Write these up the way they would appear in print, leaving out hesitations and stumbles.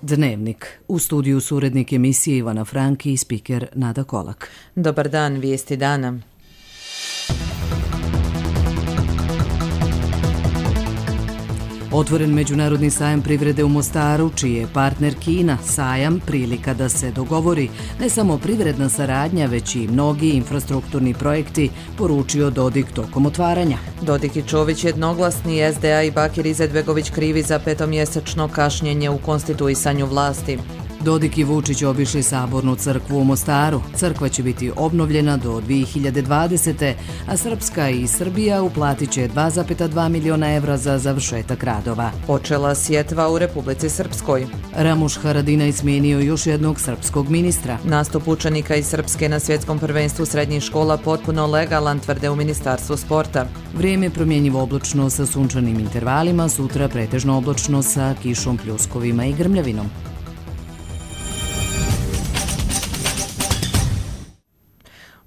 Dnevnik. U studiju su urednik emisije Ivana Franki i spiker Nada Kolak. Dobar dan, vijesti dana. Otvoren međunarodni sajam privrede u Mostaru, čiji je partner Kina. Sajam prilika da se dogovori ne samo privredna saradnja, već i mnogi infrastrukturni projekti, poručio Dodik tokom otvaranja. Dodik i Čović jednoglasni, SDA i Bakir Izetbegović krivi za petomjesečno kašnjenje u konstituisanju vlasti. Dodik i Vučić obišli Sabornu crkvu u Mostaru. Crkva će biti obnovljena do 2020. a Srpska i Srbija uplatit će 2,2 miliona evra za završetak radova. Počela sjetva u Republici Srpskoj. Ramuš Haradinaj smijenio još jednog srpskog ministra. Nastup učenika iz Srpske na svjetskom prvenstvu srednjih škola potpuno legalan, tvrde u Ministarstvu sporta. Vrijeme promjenjivo oblačno sa sunčanim intervalima, sutra pretežno oblačno sa kišom, pljuskovima i grmljavinom.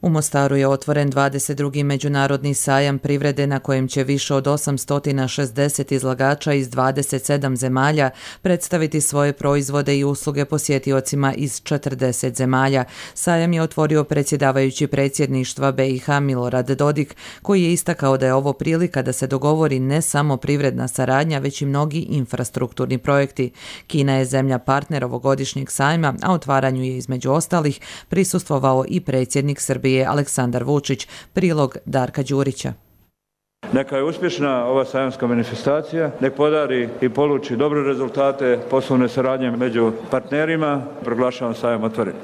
U Mostaru je otvoren 22. međunarodni sajam privrede na kojem će više od 860 izlagača iz 27 zemalja predstaviti svoje proizvode i usluge posjetiocima iz 40 zemalja. Sajam je otvorio predsjedavajući predsjedništva BiH Milorad Dodik, koji je istakao da je ovo prilika da se dogovori ne samo privredna saradnja, već i mnogi infrastrukturni projekti. Kina je zemlja partner ovogodišnjeg sajma, a otvaranju je između ostalih prisustvovao i predsjednik Srbije Aleksandar Vučić. Prilog Darka Đurića. Neka je uspješna ova sajamska manifestacija, nek podari i poluči dobre rezultate poslovne saradnje među partnerima. Proglašavam sajam otvoren.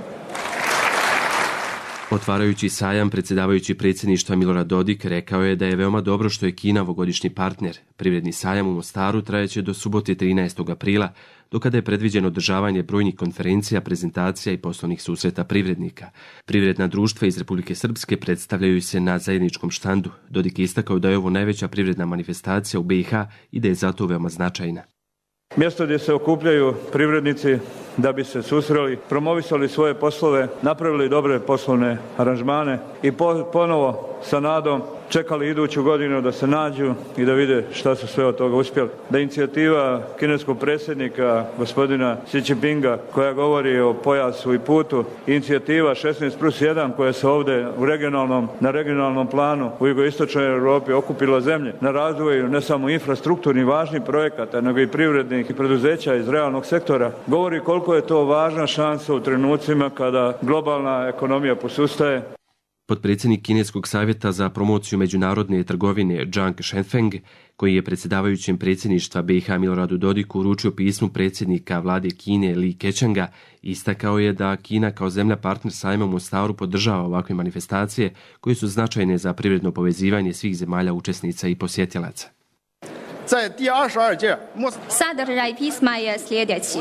Otvarajući sajam, predsjedavajući predsjedništva Milorad Dodik rekao je da je veoma dobro što je Kina ovogodišnji partner. Privredni sajam u Mostaru trajeće do subote 13. aprila, do kada je predviđeno održavanje brojnih konferencija, prezentacija i poslovnih susreta privrednika. Privredna društva iz Republike Srpske predstavljaju se na zajedničkom štandu. Dodik je istakao da je ovo najveća privredna manifestacija u BiH i da je zato veoma značajna. Mjesto gdje se okupljaju privrednici da bi se susreli, promovisali svoje poslove, napravili dobre poslovne aranžmane i ponovo sa nadom čekali iduću godinu da se nađu i da vide šta su sve od toga uspjeli. Da inicijativa kineskog predsjednika gospodina Xi Jinpinga koja govori o pojasu i putu, inicijativa 16+1 koja se ovdje na regionalnom planu u jugoistočnoj Europi okupila zemlje na razvoju ne samo infrastrukturnih važnih projekata, nego i privrednih i preduzeća iz realnog sektora, govori koliko je to važna šansa u trenucima kada globalna ekonomija posustaje. Potpredsjednik Kineskog savjeta za promociju međunarodne trgovine Zhang Shenfeng, koji je predsjedavajućem predsjedništva BiH Miloradu Dodiku uručio pismo predsjednika vlade Kine Li Keqianga, istakao je da Kina kao zemlja partner sajma u Mostaru podržava ovakve manifestacije koje su značajne za privredno povezivanje svih zemalja učesnica i posjetilaca. Sadržaj pisma je sljedeći.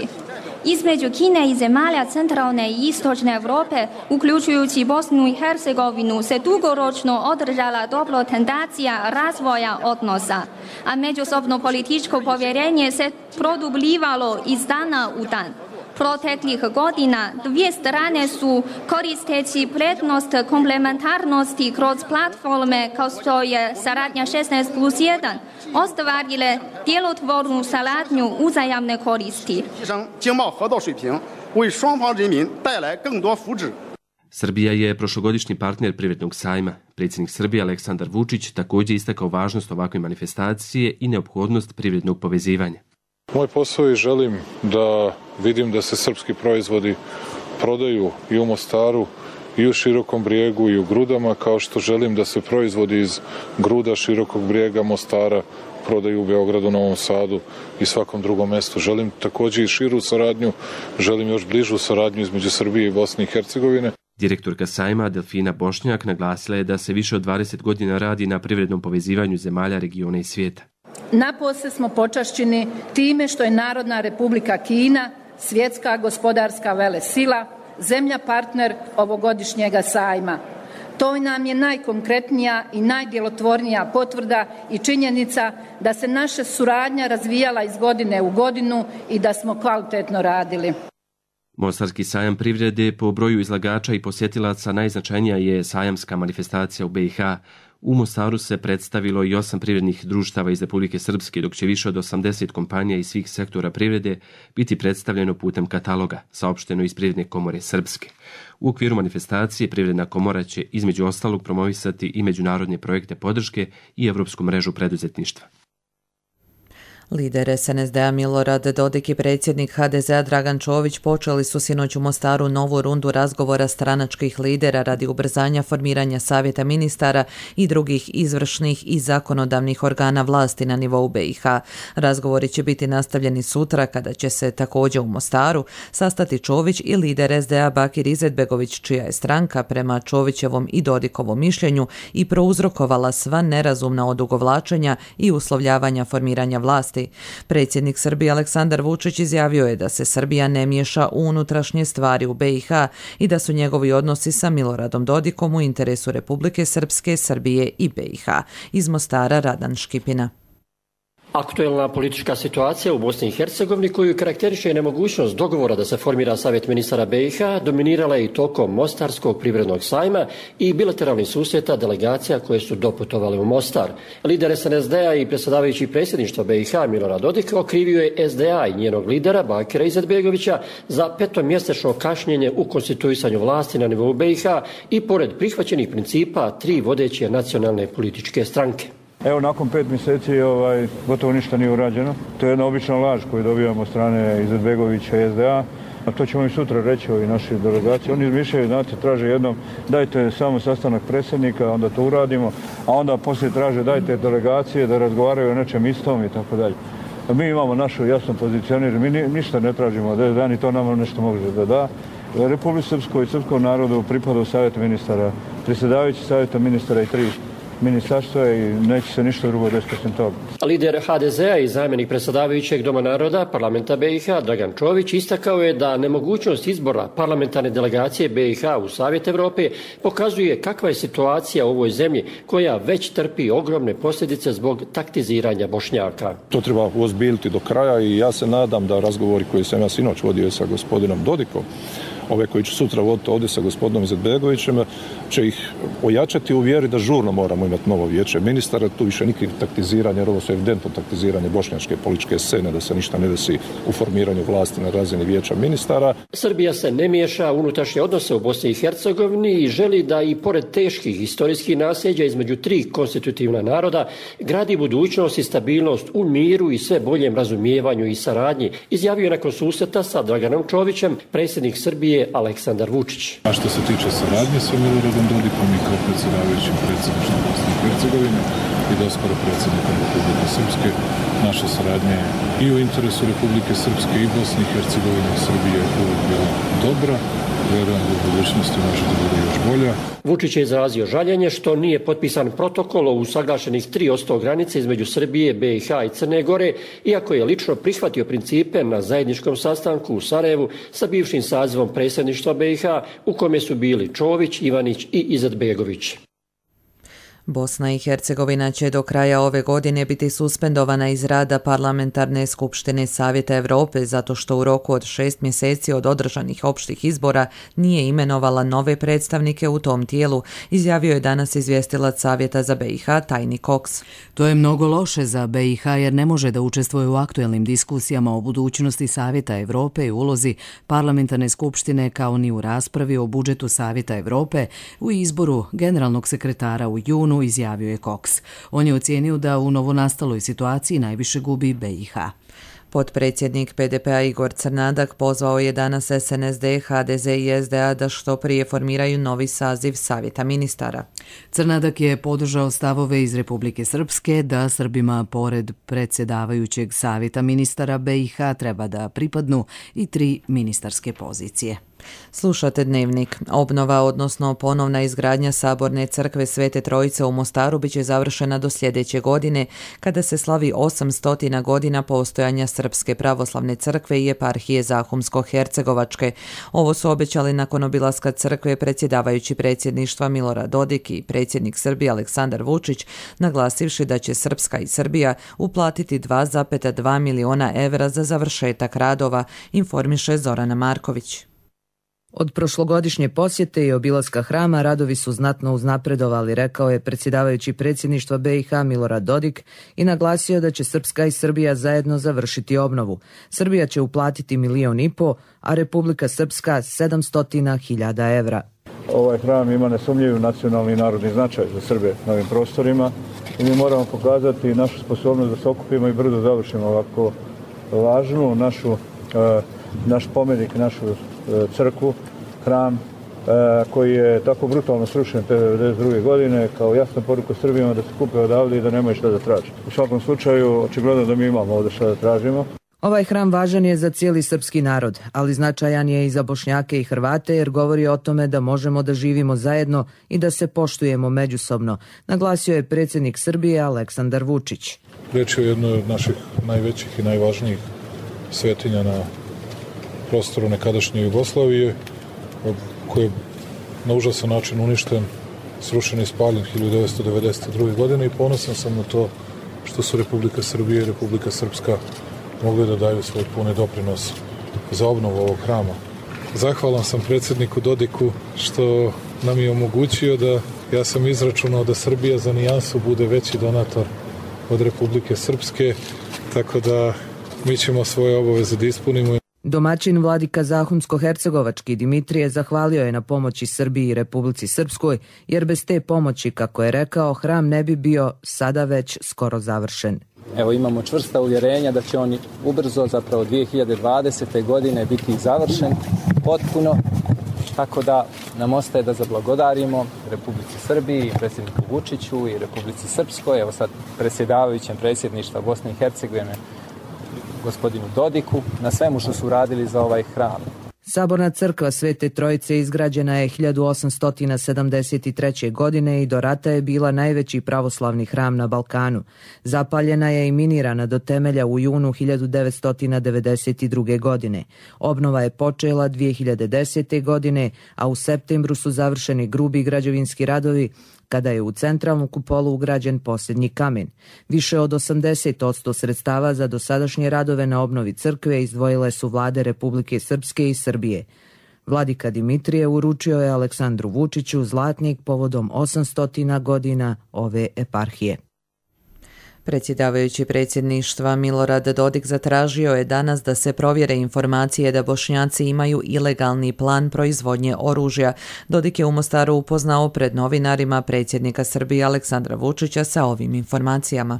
Između Kine i zemalja centralne i istočne Europe, uključujući Bosnu i Hercegovinu, se dugoročno održala dobro tendencija razvoja odnosa, a međusobno političko povjerenje se produbljivalo iz dana u dan. Proteklih godina dvije strane su, koristeći prednost komplementarnosti kroz platforme kao što je saradnja 16+1, ostvarile djelotvornu saradnju uzajamne koristi. Srbija je prošlogodišnji partner privrednog sajma. Predsjednik Srbije Aleksandar Vučić također istakao važnost ovakve manifestacije i neophodnost privrednog povezivanja. Moj posao je želim da vidim da se srpski proizvodi prodaju i u Mostaru, i u Širokom Brijegu, i u Grudama, kao što želim da se proizvodi iz Gruda, Širokog Brijega, Mostara prodaju u Beogradu, Novom Sadu i svakom drugom mjestu. Želim također i širu saradnju, želim još bližu saradnju između Srbije i Bosne i Hercegovine. Direktorka sajma Delfina Bošnjak naglasila je da se više od 20 godina radi na privrednom povezivanju zemalja, regiona i svijeta. Napose smo počašćeni time što je Narodna Republika Kina, svjetska gospodarska velesila, zemlja partner ovogodišnjega sajma. To nam je najkonkretnija i najdjelotvornija potvrda i činjenica da se naša suradnja razvijala iz godine u godinu i da smo kvalitetno radili. Mostarski sajam privrede po broju izlagača i posjetilaca najznačajnija je sajamska manifestacija u BiH. U Mostaru se predstavilo i 8 privrednih društava iz Republike Srpske, dok će više od 80 kompanija iz svih sektora privrede biti predstavljeno putem kataloga, saopšteno iz Privredne komore Srpske. U okviru manifestacije Privredna komora će između ostalog promovisati i međunarodne projekte podrške i Evropsku mrežu preduzetništva. Lider SNSD-a Milorad Dodik i predsjednik HDZ-a Dragan Čović počeli su sinoć u Mostaru novu rundu razgovora stranačkih lidera radi ubrzanja formiranja savjeta ministara i drugih izvršnih i zakonodavnih organa vlasti na nivou BiH. Razgovori će biti nastavljeni sutra kada će se također u Mostaru sastati Čović i lider SDA Bakir Izetbegović, čija je stranka prema Čovićevom i Dodikovom mišljenju i prouzrokovala sva nerazumna odugovlačenja i uslovljavanja formiranja vlasti. Predsjednik Srbije Aleksandar Vučić izjavio je da se Srbija ne miješa u unutrašnje stvari u BiH i da su njegovi odnosi sa Miloradom Dodikom u interesu Republike Srpske, Srbije i BiH. Iz Mostara Radan Škipina. Aktuelna politička situacija u Bosni i Hercegovini, koju karakteriše nemogućnost dogovora da se formira Savjet ministara BiH, dominirala je i tokom Mostarskog privrednog sajma i bilateralnih susreta delegacija koje su doputovale u Mostar. Lider SNSD-a i predsjedavajući predsjedništva BiH Milorad Dodik okrivio je SDA i njenog lidera Bakira Izetbegovića za petomjesečno kašnjenje u konstituisanju vlasti na nivou BiH i pored prihvaćenih principa 3 vodeće nacionalne političke stranke. Evo, nakon 5 mjeseci gotovo ništa nije urađeno. To je jedna obična laž koju dobijamo od strane Izetbegovića i SDA. A to ćemo i sutra reći ovi naši delegacije. Oni izmišljaju, znate, traže jednom dajte samo sastanak predsjednika, onda to uradimo, a onda poslije traže dajte delegacije da razgovaraju o nečem istom i tako dalje. Mi imamo našu jasnu pozicionir, mi ništa ne tražimo od SDA, ni to nama nešto može da da. Republici Srpskoj i srpskom narodu pripada Savjet ministara, predsjedavajući Savjeta ministara i 3 ministarstva i neće se ništa drugo desiti osim toga. Lider HDZ-a i zamjenik predsjedavajućeg Doma naroda parlamenta BiH Dragan Čović istakao je da nemogućnost izbora parlamentarne delegacije BiH u Savjet Europe pokazuje kakva je situacija u ovoj zemlji koja već trpi ogromne posljedice zbog taktiziranja Bošnjaka. To treba uozbiljiti do kraja i ja se nadam da razgovori koji sam ja sinoć vodio sa gospodinom Dodikom, ove koji ću sutra voditi ovdje sa gospodinom Izetbegovićem, će ih ojačati u vjeri da žurno moramo imati novo vijeće ministara. Tu više nikakvih taktiziranja, jer ovo su evidentno taktiziranje bošnjačke političke scene, da se ništa ne desi u formiranju vlasti na razini vijeća ministara. Srbija se ne miješa u unutrašnje odnose u Bosni i Hercegovini i želi da i pored teških historijskih nasljeđa između 3 konstitutivna naroda gradi budućnost i stabilnost u miru i sve boljem razumijevanju i saradnji, izjavio nakon susreta sa Draganom Čovićem predsjednik Srbije Aleksandar Vučić. A što se tiče saradnje sa Miloradom Dodikom i kao predsjedavajućim predsjedništvom Bosne i Hercegovine i doskoro predsjednikom Republike Srpske, naša saradnja je i u interesu Republike Srpske i Bosne i Hercegovine i Srbije uvijek bila dobra. Vjerujem da u budućnosti može da bude još bolja. Vučić je izrazio žaljenje što nije potpisan protokol o usaglašenih 3% granice između Srbije, BiH i Crne Gore, iako je lično prihvatio principe na zajedničkom sastanku u Sarajevu sa bivšim sazivom predsjedništva BiH u kome su bili Čović, Ivanić i Izetbegović. Bosna i Hercegovina će do kraja ove godine biti suspendovana iz rada Parlamentarne skupštine Savjeta Europe zato što u roku od 6 mjeseci od održanih opštih izbora nije imenovala nove predstavnike u tom tijelu, izjavio je danas izvjestilac Savjeta za BiH Tajni Cox. To je mnogo loše za BiH jer ne može da učestvuje u aktuelnim diskusijama o budućnosti Savjeta Europe i ulozi Parlamentarne skupštine kao ni u raspravi o budžetu Savjeta Europe u izboru generalnog sekretara u junu, izjavio je Cox. On je ocijenio da u novonastaloj situaciji najviše gubi BiH. Potpredsjednik PDP-a Igor Crnadak pozvao je danas SNSD, HDZ i SDA da što prije formiraju novi saziv Savjeta ministara. Crnadak je podržao stavove iz Republike Srpske da Srbima pored predsjedavajućeg Savjeta ministara BiH treba da pripadnu i 3 ministarske pozicije. Slušate Dnevnik. Obnova, odnosno ponovna izgradnja Saborne crkve Svete Trojice u Mostaru biće završena do sljedeće godine, kada se slavi 800 godina postojanja Srpske pravoslavne crkve i eparhije Zahumsko-Hercegovačke. Ovo su obećali nakon obilaska crkve predsjedavajući predsjedništva Milorad Dodik i predsjednik Srbije Aleksandar Vučić, naglasivši da će Srpska i Srbija uplatiti 2,2 miliona evra za završetak radova, informiše Zorana Marković. Od prošlogodišnje posjete i obilaska hrama radovi su znatno uznapredovali, rekao je predsjedavajući predsjedništva BiH Milorad Dodik i naglasio da će Srpska i Srbija zajedno završiti obnovu. Srbija će uplatiti 1,5 miliona, a Republika Srpska 700.000 evra. Ovaj hram ima nesumnjiv nacionalni i narodni značaj za Srbe na ovim prostorima i mi moramo pokazati našu sposobnost da se okupimo i brzo završimo ovako važnu naš spomenik, našu crkvu, hram koji je tako brutalno srušen te 1992. godine kao jasna poruka Srbijama da se kupe odavde i da nemaju šta da traže. U svakom slučaju, očigledno da mi imamo ovdje šta da tražimo. Ovaj hram važan je za cijeli srpski narod, ali značajan je i za Bošnjake i Hrvate jer govori o tome da možemo da živimo zajedno i da se poštujemo međusobno, naglasio je predsjednik Srbije Aleksandar Vučić. Riječ je o jednoj od naših najvećih i najvažnijih svetinja na prostoru nekadašnje Jugoslavije, koji je na užasan način uništen, srušen i spaljen 1992. godine i ponosan sam na to što su Republika Srbije i Republika Srpska mogli da daju svoj puni doprinos za obnovu ovog hrama. Zahvalan sam predsjedniku Dodiku što nam je omogućio da, ja sam izračunao da Srbija za nijansu bude veći donator od Republike Srpske, tako da mi ćemo svoje obaveze da ispunimo. Domaćin vladika Zahumsko-hercegovački Dimitrije zahvalio je na pomoći Srbiji i Republici Srpskoj, jer bez te pomoći, kako je rekao, hram ne bi bio sada već skoro završen. Evo, imamo čvrsta uvjerenja da će on ubrzo, zapravo 2020. godine, biti završen potpuno, tako da nam ostaje da zablagodarimo Republici Srbiji, predsjedniku Vučiću i Republici Srpskoj, evo sad predsjedavajućem predsjedništva Bosne i Hercegovine, gospodinu Dodiku, na svemu što su radili za ovaj hram. Saborna crkva Svete Trojice izgrađena je 1873. godine i do rata je bila najveći pravoslavni hram na Balkanu. Zapaljena je i minirana do temelja u junu 1992. godine. Obnova je počela 2010. godine, a u septembru su završeni grubi građevinski radovi, kada je u centralnu kupolu ugrađen posljednji kamen. Više od 80% sredstava za dosadašnje radove na obnovi crkve izdvojile su vlade Republike Srpske i Srbije. Vladika Dimitrije uručio je Aleksandru Vučiću zlatnik povodom 800 godina ove eparhije. Predsjedavajući predsjedništva Milorad Dodik zatražio je danas da se provjere informacije da Bošnjaci imaju ilegalni plan proizvodnje oružja. Dodik je u Mostaru upoznao pred novinarima predsjednika Srbije Aleksandra Vučića sa ovim informacijama.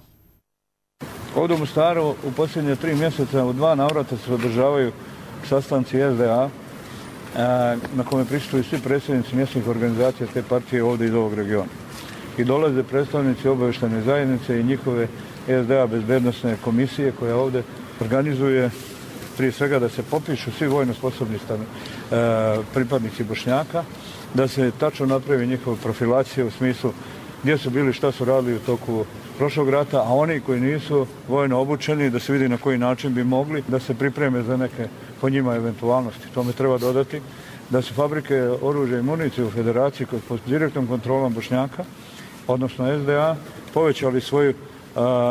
Ovdje u Mostaru u posljednje 3 mjeseca u 2 navrata se održavaju sastanci SDA na kome prisustvuju svi predsjednici mjesnih organizacija te partije ovdje iz ovog regiona. I dolaze predstavnici obavještajne zajednice i njihove SDA bezbednosne komisije koja ovdje organizuje prije svega da se popišu svi vojno sposobni pripadnici Bošnjaka, da se tačno napravi njihova profilacija u smislu gdje su bili, šta su radili u toku prošlog rata, a oni koji nisu vojno obučeni da se vidi na koji način bi mogli da se pripreme za neke po njima eventualnosti. Tome treba dodati da su fabrike oružja i municije u federaciji pod direktnom kontrolom Bošnjaka, odnosno SDA, povećali svoju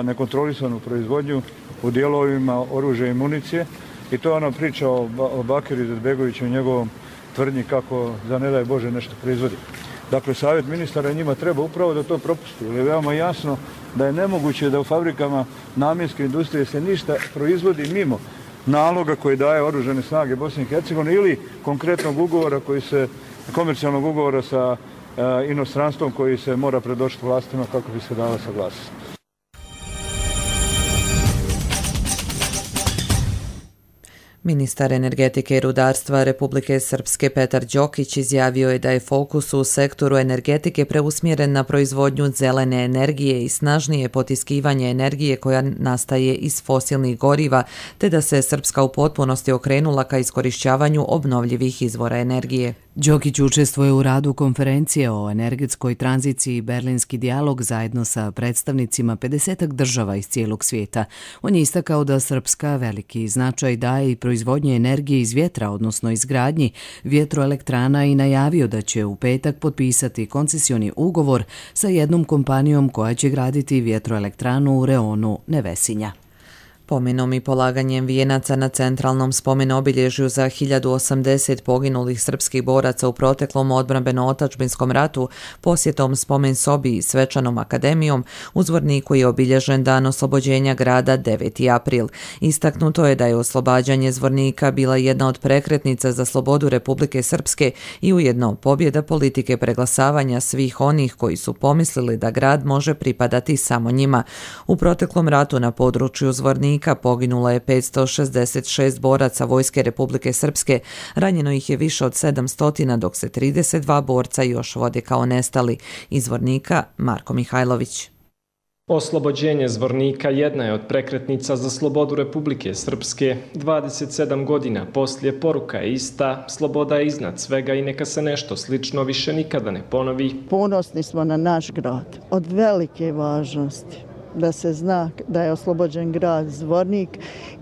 nekontrolisanu proizvodnju u dijelovima oružja i municije i to je ona priča o Bakiru Izetbegoviću i njegovom tvrdnji kako za ne daj Bože nešto proizvodi. Dakle, savjet ministara njima treba upravo da to propusti, jer je veoma jasno da je nemoguće da u fabrikama namjenske industrije se ništa proizvodi mimo naloga koji daje oružane snage Bosne i Hercegovine ili konkretnog ugovora komercijalnog ugovora sa inostranstvom koji se mora predočiti vlastima kako bi se dala saglasnost. Ministar energetike i rudarstva Republike Srpske Petar Đokić izjavio je da je fokus u sektoru energetike preusmjeren na proizvodnju zelene energije i snažnije potiskivanje energije koja nastaje iz fosilnih goriva, te da se Srpska u potpunosti okrenula ka iskorišćavanju obnovljivih izvora energije. Đokić učestvuje u radu konferencije o energetskoj tranziciji Berlinski dijalog zajedno sa predstavnicima 50 država iz cijelog svijeta. On je istakao da Srpska veliki značaj daje i proizvodnje energije iz vjetra, odnosno izgradnji vjetroelektrana i najavio da će u petak potpisati koncesioni ugovor sa jednom kompanijom koja će graditi vjetroelektranu u reonu Nevesinja. Pomenom i polaganjem vijenaca na centralnom spomen-obilježju za 1080 poginulih srpskih boraca u proteklom odbrambeno-otačbinskom ratu, posjetom spomen sobi i svečanom akademijom, u Zvorniku je obilježen dan oslobođenja grada 9. april. Istaknuto je da je oslobađanje Zvornika bila jedna od prekretnica za slobodu Republike Srpske i ujedno pobjeda politike preglasavanja svih onih koji su pomislili da grad može pripadati samo njima. U proteklom ratu na području Zvornika poginulo je 566 boraca Vojske Republike Srpske, ranjeno ih je više od 700, dok se 32 borca još vode kao nestali. Iz Zvornika, Marko Mihajlović. Oslobođenje Zvornika jedna je od prekretnica za slobodu Republike Srpske. 27 godina poslije poruka je ista, sloboda je iznad svega i neka se nešto slično više nikada ne ponovi. Ponosni smo na naš grad, od velike važnosti da se zna da je oslobođen grad Zvornik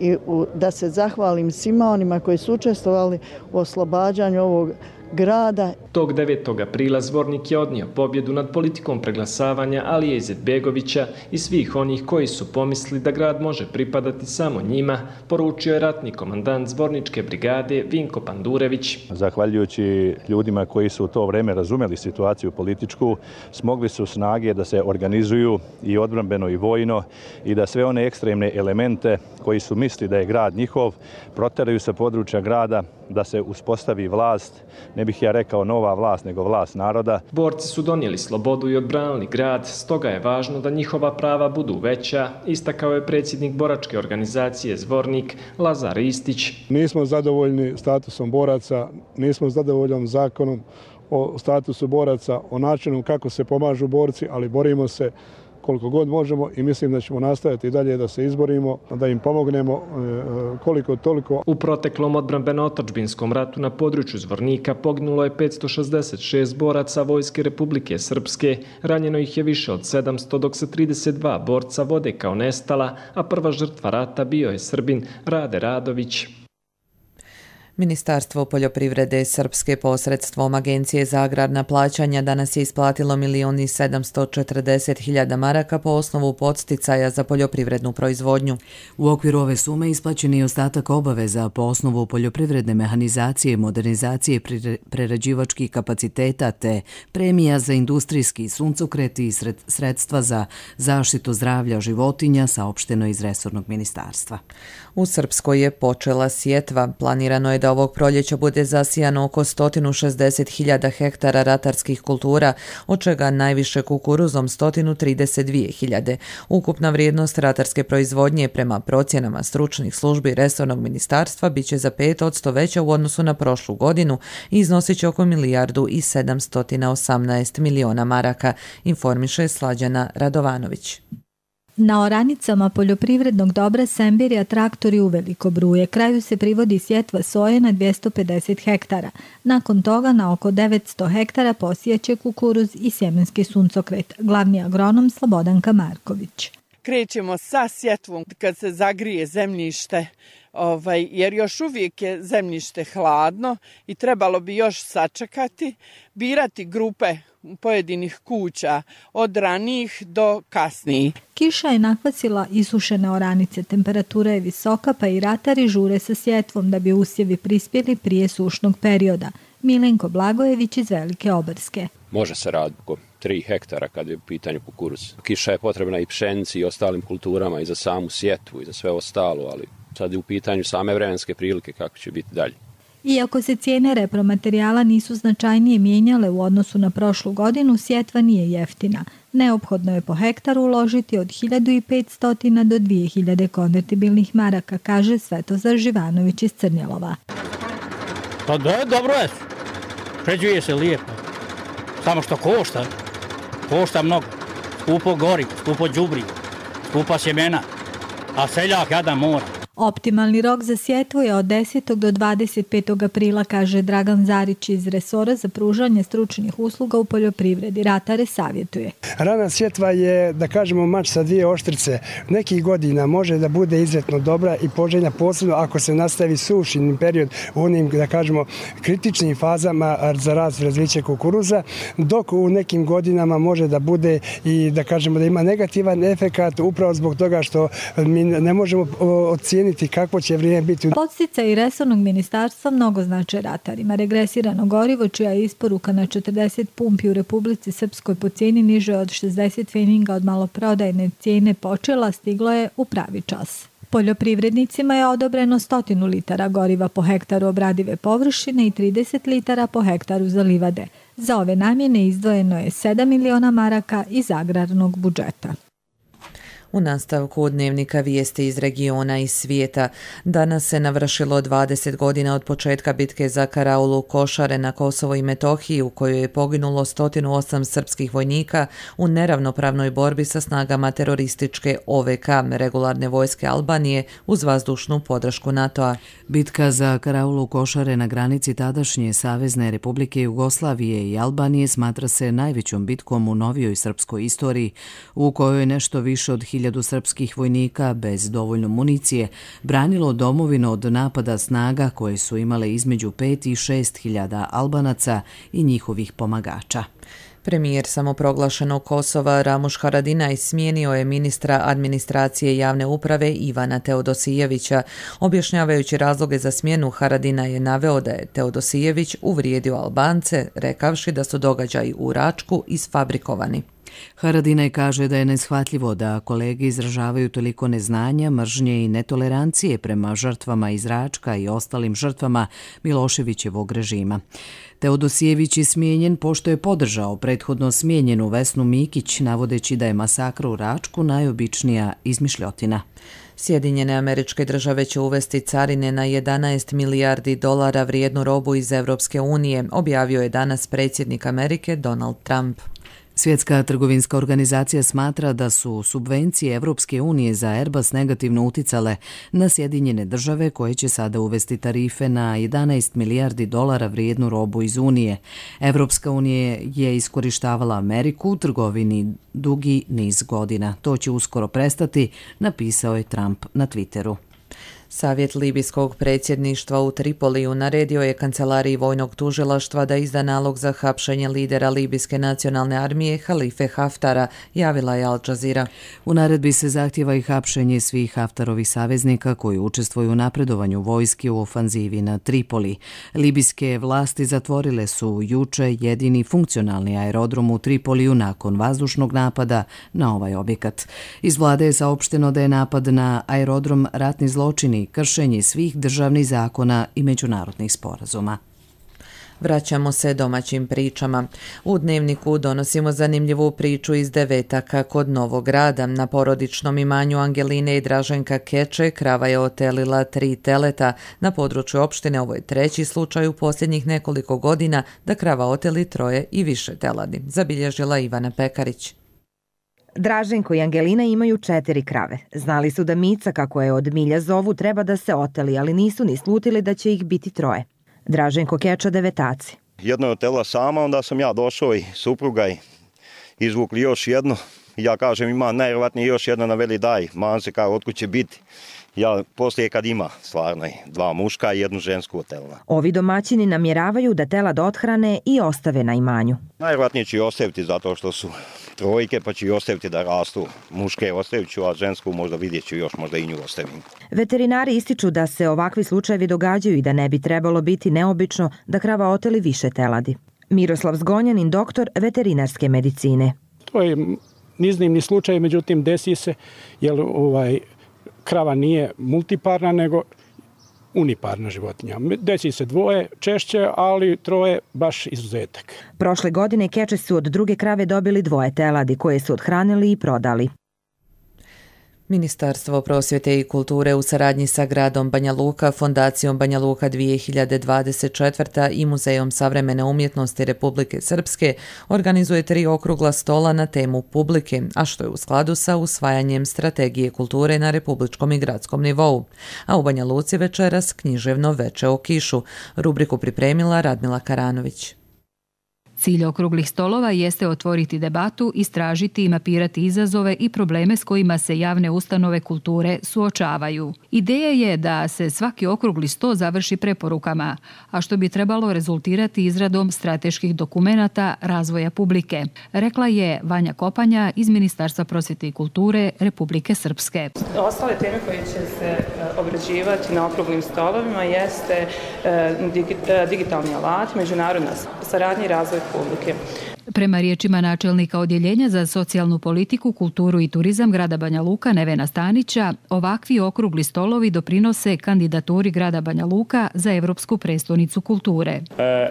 i da se zahvalim svima onima koji su učestvovali u oslobađanju ovog grada. Tog 9. aprila Zvornik je odnio pobjedu nad politikom preglasavanja Alije Izetbegovića i svih onih koji su pomislili da grad može pripadati samo njima, poručio je ratni komandant Zvorničke brigade Vinko Pandurević. Zahvaljujući ljudima koji su u to vreme razumeli situaciju političku, smogli su snage da se organizuju i odbrambeno i vojno i da sve one ekstremne elemente koji su mislili da je grad njihov proteraju sa područja grada, da se uspostavi vlast, ne bih ja rekao nova vlast, nego vlast naroda. Borci su donijeli slobodu i odbranili grad, stoga je važno da njihova prava budu veća, istakao je predsjednik boračke organizacije Zvornik Lazar Istić. Nismo zadovoljni statusom boraca, nismo zadovoljni zakonom o statusu boraca, o načinu kako se pomažu borci, ali borimo se koliko god možemo i mislim da ćemo nastaviti i dalje da se izborimo, da im pomognemo koliko toliko. U proteklom odbrambeno-otačbinskom ratu na području Zvornika poginulo je 566 boraca Vojske Republike Srpske, ranjeno ih je više od 700, dok se 32 borca vode kao nestala, a prva žrtva rata bio je Srbin Rade Radović. Ministarstvo poljoprivrede Srpske posredstvom Agencije za agrarna plaćanja danas je isplatilo 1.740.000 maraka po osnovu podsticaja za poljoprivrednu proizvodnju. U okviru ove sume isplaćen je ostatak obaveza po osnovu poljoprivredne mehanizacije, modernizacije prerađivačkih kapaciteta te premija za industrijski suncokret i sredstva za zaštitu zdravlja životinja, saopšteno iz resornog ministarstva. U Srpskoj je počela sjetva. Planirano je da ovog proljeća bude zasijano oko 160.000 hektara ratarskih kultura, od čega najviše kukuruzom 132.000. Ukupna vrijednost ratarske proizvodnje prema procjenama stručnih službi resornog ministarstva biće za 5% veća u odnosu na prošlu godinu i iznosit će oko 1.718.000.000 maraka, informiše Slađana Radovanović. Na oranicama poljoprivrednog dobra Sembirja traktori uveliko bruje. Kraju se privodi sjetva soje na 250 hektara. Nakon toga na oko 900 hektara posijeće kukuruz i sjemenski suncokret. Glavni agronom Slobodanka Marković. Krećemo sa sjetvom kad se zagrije zemljište, jer još uvijek je zemljište hladno i trebalo bi još sačekati, birati grupe pojedinih kuća od ranijih do kasnijih. Kiša je nakvasila isušene oranice, temperatura je visoka pa i ratari žure sa sjetvom da bi usjevi prispjeli prije sušnog perioda. Milenko Blagojević iz Velike Obrske. Može se raditi oko 3 hektara kad je u pitanju kukuruz. Kiša je potrebna i pšenici i ostalim kulturama i za samu sjetvu i za sve ostalo, ali sad je u pitanju same vremenske prilike kako će biti dalje. Iako se cijene repromaterijala nisu značajnije mijenjale u odnosu na prošlu godinu, sjetva nije jeftina. Neophodno je po hektaru uložiti od 1.500 do 2.000 konvertibilnih maraka, kaže Svetozar Živanović iz Crnjelova. Pa da, dobro je. Pređuje se lijepo. Samo što košta. Košta mnogo. Skupo gori, skupo đubri, skupa sjemena. A seljak jadan mora. Optimalni rok za sjetvu je od 10. do 25. aprila, kaže Dragan Zarić iz resora za pružanje stručnih usluga u poljoprivredi. Ratare savjetuje. Rana sjetva je, da kažemo, mač sa dvije oštrice. Nekih godina može da bude izuzetno dobra i poželjna, posebno ako se nastavi sušni period u onim, da kažemo, kritičnim fazama za rast i razviće kukuruza, dok u nekim godinama može da bude i, da kažemo, da ima negativan efekat upravo zbog toga što mi ne možemo ocijeniti kakvo će vrijeme biti. Podsticaji resornog ministarstva mnogo znače ratarima. Regresirano gorivo, čija je isporuka na 40 pumpi u Republici Srpskoj po cijeni niže od 60 pfeninga od maloprodajne cijene počela, stiglo je u pravi čas. Poljoprivrednicima je odobreno 100 litara goriva po hektaru obradive površine i 30 litara po hektaru za livade. Za ove namjene izdvojeno je 7 miliona maraka iz agrarnog budžeta. U nastavku dnevnika vijesti iz regiona i svijeta. Danas se navršilo 20 godina od početka bitke za karaulu Košare na Kosovo i Metohiji, u kojoj je poginulo 108 srpskih vojnika u neravnopravnoj borbi sa snagama terorističke OVK, regularne vojske Albanije, uz vazdušnu podršku NATO-a. Bitka za karaulu Košare na granici tadašnje Savezne Republike Jugoslavije i Albanije smatra se najvećom bitkom u novijoj srpskoj istoriji, u kojoj nešto više od 1000 srpskih vojnika bez dovoljno municije branilo domovinu od napada snaga koje su imale između 5 i 6.000 Albanaca i njihovih pomagača. Premijer samoproglašenog Kosova Ramuš Haradinaj smijenio je ministra administracije javne uprave Ivana Teodosijevića. Objašnjavajući razloge za smjenu, Haradinaj je naveo da je Teodosijević uvrijedio Albance, rekavši da su događaji u Račku isfabrikovani. Haradinaj kaže da je neshvatljivo da kolege izražavaju toliko neznanja, mržnje i netolerancije prema žrtvama iz Račka i ostalim žrtvama Miloševićevog režima. Teodosijević je smijenjen pošto je podržao prethodno smijenjenu Vesnu Mikić, navodeći da je masakr u Račku najobičnija izmišljotina. Sjedinjene Američke Države će uvesti carine na 11 milijardi dolara vrijednu robu iz Evropske unije, objavio je danas predsjednik Amerike Donald Trump. Svjetska trgovinska organizacija smatra da su subvencije Evropske unije za Airbus negativno uticale na Sjedinjene Države, koje će sada uvesti tarife na 11 milijardi dolara vrijednu robu iz Unije. Evropska unija je iskorištavala Ameriku u trgovini dugi niz godina. To će uskoro prestati, napisao je Trump na Twitteru. Savjet libijskog predsjedništva u Tripoliju naredio je kancelariji vojnog tužilaštva da izda nalog za hapšenje lidera libijske nacionalne armije Halife Haftara, javila je Al Jazeera. U naredbi se zahtjeva i hapšenje svih Haftarovih saveznika koji učestvuju u napredovanju vojske u ofanzivi na Tripoli. Libijske vlasti zatvorile su juče jedini funkcionalni aerodrom u Tripoliju nakon vazdušnog napada na ovaj objekat. Iz vlade je saopšteno da je napad na aerodrom ratni zločin i kršenje svih državnih zakona i međunarodnih sporazuma. Vraćamo se domaćim pričama. U dnevniku donosimo zanimljivu priču iz Devetaka kod Novog Grada. Na porodičnom imanju Angeline i Draženka Keče krava je otelila 3 teleta. Na području opštine ovo je treći slučaj u posljednjih nekoliko godina da krava oteli 3 i više teladi, zabilježila Ivana Pekarić. Draženko i Angelina imaju 4 krave. Znali su da Mica, kako je od milja zovu, treba da se oteli, ali nisu ni slutili da će ih biti 3. Draženko Keča, Devetaci. Jedno je otela sama, onda sam ja došao i supruga i izvukli još jedno. Ja kažem, ima najvjerojatnije još jedno, na veli daj, man se kao otkud će biti. Ja poslije kad ima stvarno 2 muška i 1 žensku otelna. Ovi domaćini namjeravaju da telad othrane i ostave na imanju. Najvjerojatnije ću ostaviti zato što su 3, pa ću i ostaviti da rastu. Muške ostavit ću, a žensku možda vidjet ću još, možda i nju ostavim. Veterinari ističu da se ovakvi slučajevi događaju i da ne bi trebalo biti neobično da krava oteli više teladi. Miroslav Zgonjanin, doktor veterinarske medicine. To je iznimni slučaj, međutim desi se, jer krava nije multiparna, nego uniparna životinja. Desi se 2 češće, ali 3 baš izuzetak. Prošle godine Keče su od druge krave dobili 2 teladi koje su othranili i prodali. Ministarstvo prosvjete i kulture u saradnji sa gradom Banja Luka, Fondacijom Banja Luka 2024. i Muzejom savremene umjetnosti Republike Srpske organizuje 3 okrugla stola na temu publike, a što je u skladu sa usvajanjem strategije kulture na republičkom i gradskom nivou. A u Banja Luci večeras književno veče o kišu. Rubriku pripremila Radmila Karanović. Cilj okruglih stolova jeste otvoriti debatu, istražiti i mapirati izazove i probleme s kojima se javne ustanove kulture suočavaju. Ideja je da se svaki okrugli sto završi preporukama, a što bi trebalo rezultirati izradom strateških dokumenata razvoja publike, rekla je Vanja Kopanja iz Ministarstva prosvjete i kulture Republike Srpske. Ostale teme koje će se obrađivati na okruglim stolovima jeste digitalni alat, međunarodna saradnja i razvoj publike. Prema riječima načelnika Odjeljenja za socijalnu politiku, kulturu i turizam grada Banja Luka Nevena Stanića, ovakvi okrugli stolovi doprinose kandidaturi grada Banja Luka za Evropsku prestonicu kulture.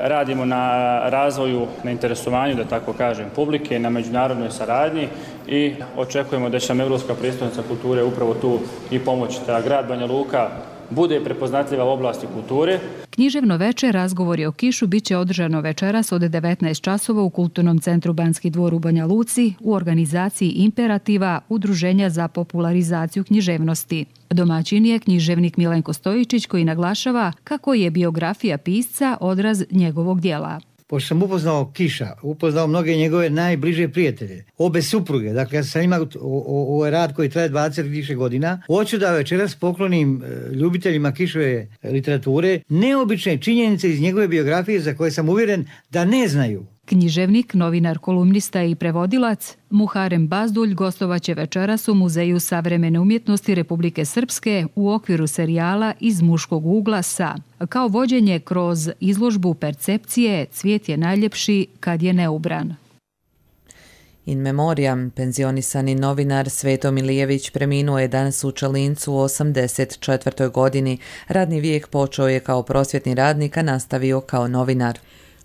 Radimo na razvoju, na interesovanju, da tako kažem, publike, na međunarodnoj saradnji i očekujemo da će nam Evropska prestonica kulture upravo tu i pomoći da grad Banja Luka bude prepoznatljiva u oblasti kulture. Književno veče razgovori o kišu biće održano večeras od 19 časova u Kulturnom centru Banski dvor u Banja Luci u organizaciji Imperativa Udruženja za popularizaciju književnosti. Domaćin je književnik Milenko Stojičić koji naglašava kako je biografija pisca odraz njegovog dijela. Pošto sam upoznao Kiša, upoznao mnoge njegove najbliže prijatelje, obe supruge, dakle ja sam imao ovaj rad koji traje 20 više godina, hoću da večeras poklonim ljubiteljima Kišove literature neobične činjenice iz njegove biografije za koje sam uvjeren da ne znaju. Književnik, novinar, kolumnista i prevodilac Muharem Bazdulj gostovaće večeras u Muzeju savremene umjetnosti Republike Srpske u okviru serijala Iz muškog ugla sa, kao vođenje kroz izložbu percepcije Cvijet je najljepši kad je neubran. In memoriam, penzionisani novinar Sveto Milijević preminuo je danas u Čelincu u 84. godini. Radni vijek počeo je kao prosvjetni radnik, a nastavio kao novinar.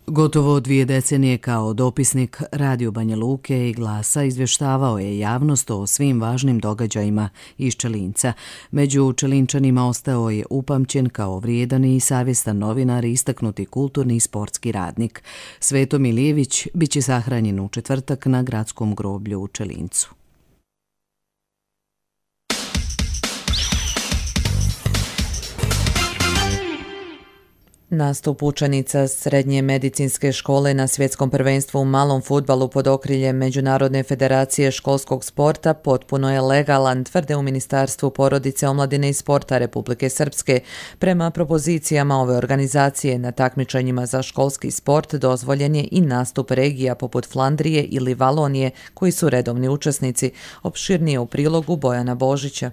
Gotovo 2 decenije kao dopisnik Radio Banja Luke i Glasa izvještavao je javnost o svim važnim događajima iz Čelinca. Među Čelinčanima ostao je upamćen kao vrijedan i savjestan novinar i istaknuti kulturni i sportski radnik. Sveto Milijević biće sahranjen u četvrtak na gradskom groblju u Čelincu. Nastup učenica Srednje medicinske škole na svjetskom prvenstvu u malom fudbalu pod okriljem Međunarodne federacije školskog sporta potpuno je legalan, tvrde u Ministarstvu porodice, omladine i sporta Republike Srpske. Prema propozicijama ove organizacije na takmičenjima za školski sport dozvoljen je i nastup regija poput Flandrije ili Valonije koji su redovni učesnici. Opširnije u prilogu Bojana Božića.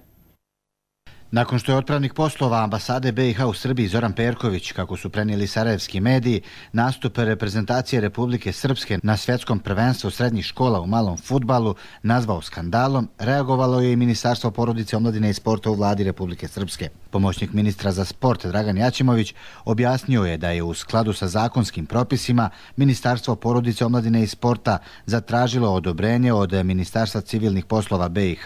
Nakon što je otpravnik poslova ambasade BiH u Srbiji Zoran Perković, kako su prenijeli sarajevski mediji, nastup reprezentacije Republike Srpske na svjetskom prvenstvu srednjih škola u malom fudbalu nazvao skandalom, reagovalo je i Ministarstvo porodice, omladine i sporta u vladi Republike Srpske. Pomoćnik ministra za sport Dragan Jaćimović objasnio je da je u skladu sa zakonskim propisima Ministarstvo porodice, omladine i sporta zatražilo odobrenje od Ministarstva civilnih poslova BiH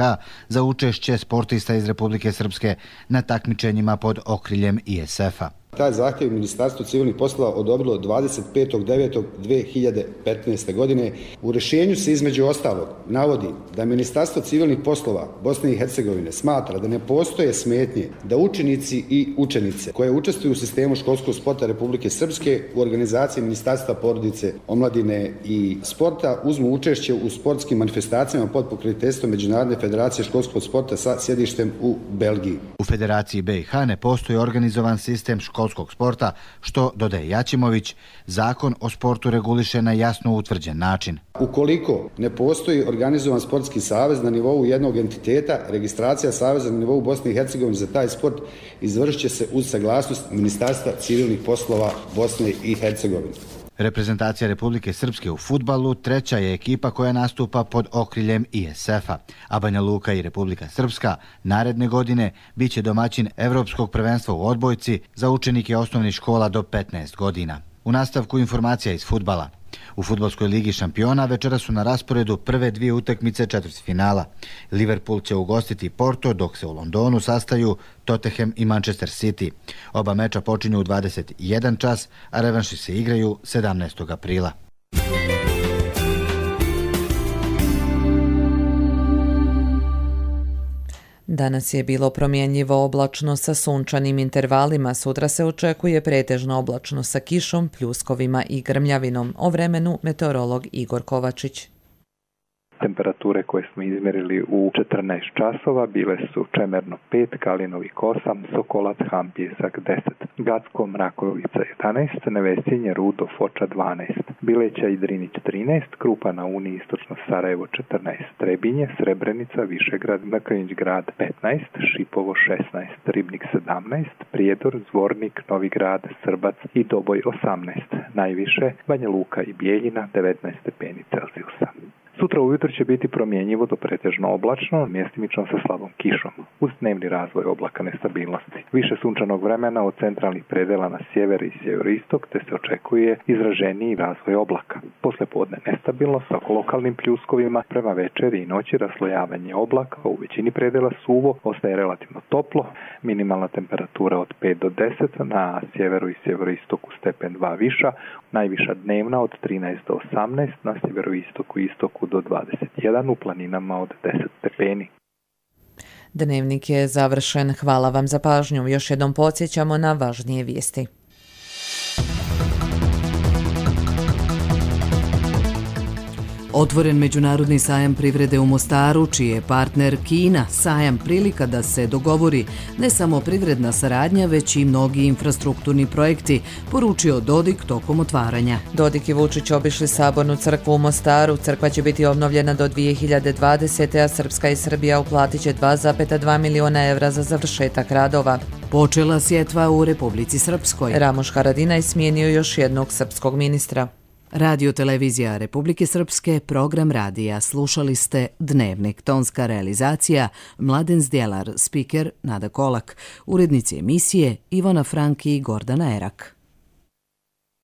za učešće sportista iz Republike Srpske na takmičenjima pod okriljem ISF-a. Taj zahtjev Ministarstvo civilnih poslova odobrilo 25.9.2015. godine. U rješenju se između ostalog navodi da Ministarstvo civilnih poslova Bosne i Hercegovine smatra da ne postoje smetnje da učenici i učenice koje učestvuju u sistemu školskog sporta Republike Srpske u organizaciji Ministarstva porodice, omladine i sporta uzmu učešće u sportskim manifestacijama pod pokroviteljstvom Međunarodne federacije školskog sporta sa sjedištem u Belgiji. U Federaciji BiH ne postoji organizovan sistem školskog sporta, što, dodaje Jaćimović, zakon o sportu reguliše na jasno utvrđen način. Ukoliko ne postoji organizovan sportski savez na nivou jednog entiteta, registracija saveza na nivou Bosne i Hercegovine za taj sport izvršit će se uz saglasnost Ministarstva civilnih poslova Bosne i Hercegovine. Reprezentacija Republike Srpske u fudbalu treća je ekipa koja nastupa pod okriljem ISF-a, a Banja Luka i Republika Srpska naredne godine biće domaćin Evropskog prvenstva u odbojci za učenike osnovnih škola do 15 godina. U nastavku informacija iz fudbala. U fudbalskoj ligi šampiona večera su na rasporedu prve dvije utakmice četvrtfinala. Liverpool će ugostiti Porto, dok se u Londonu sastaju Tottenham i Manchester City. Oba meča počinju u 21 čas, a revanši se igraju 17. aprila. Danas je bilo promjenjivo oblačno sa sunčanim intervalima, sutra se očekuje pretežno oblačno sa kišom, pljuskovima i grmljavinom. O vremenu meteorolog Igor Kovačić. Temperature koje smo izmjerili u 14 časova bile su Čemerno 5, Kalinovik 8, Sokolac, Han, Pjesak 10, Gacko, Mrakovica 11, Nevesinje, Rudo, Foča 12, Bileća i Drinić 13, Krupa na Uni, Istočno Sarajevo 14, Trebinje, Srebrenica, Višegrad, Mrkonjić Grad 15, Šipovo 16, Ribnik 17, Prijedor, Zvornik, Novi Grad, Srbac i Doboj 18, najviše Banja Luka i Bijeljina 19 stepeni Celzijusa. Sutra ujutro će biti promjenjivo do pretežno oblačno, mjestimično sa slabom kišom, uz dnevni razvoj oblaka nestabilnosti. Više sunčanog vremena od centralnih predela na sjever i sjeveroistok, te se očekuje izraženiji razvoj oblaka. Poslijepodne nestabilno sa lokalnim pljuskovima, prema večeri i noći raslojavanje oblaka, u većini predela suvo, ostaje relativno toplo, minimalna temperatura od 5 do 10, na sjeveru i sjeveroistoku stepen 2 viša, najviša dnevna od 13 do 18, na sjeveroistoku i istoku do 21, u planinama od 10 stepeni. Dnevnik je završen. Hvala vam za pažnju. Još jednom podsjećamo na važnije vijesti. Otvoren međunarodni sajam privrede u Mostaru, čiji je partner Kina. Sajam prilika da se dogovori ne samo privredna saradnja, već i mnogi infrastrukturni projekti, poručio Dodik tokom otvaranja. Dodik i Vučić obišli Sabornu crkvu u Mostaru. Crkva će biti obnovljena do 2020. a Srpska i Srbija uplatit će 2,2 miliona evra za završetak radova. Počela sjetva u Republici Srpskoj. Ramoš Haradinaj smijenio još jednog srpskog ministra. Radio televizija Republike Srpske, program radija. Slušali ste Dnevnik, tonska realizacija Mladen Zdjelar, spiker Nada Kolak, urednici emisije Ivana Franki i Gordana Erak.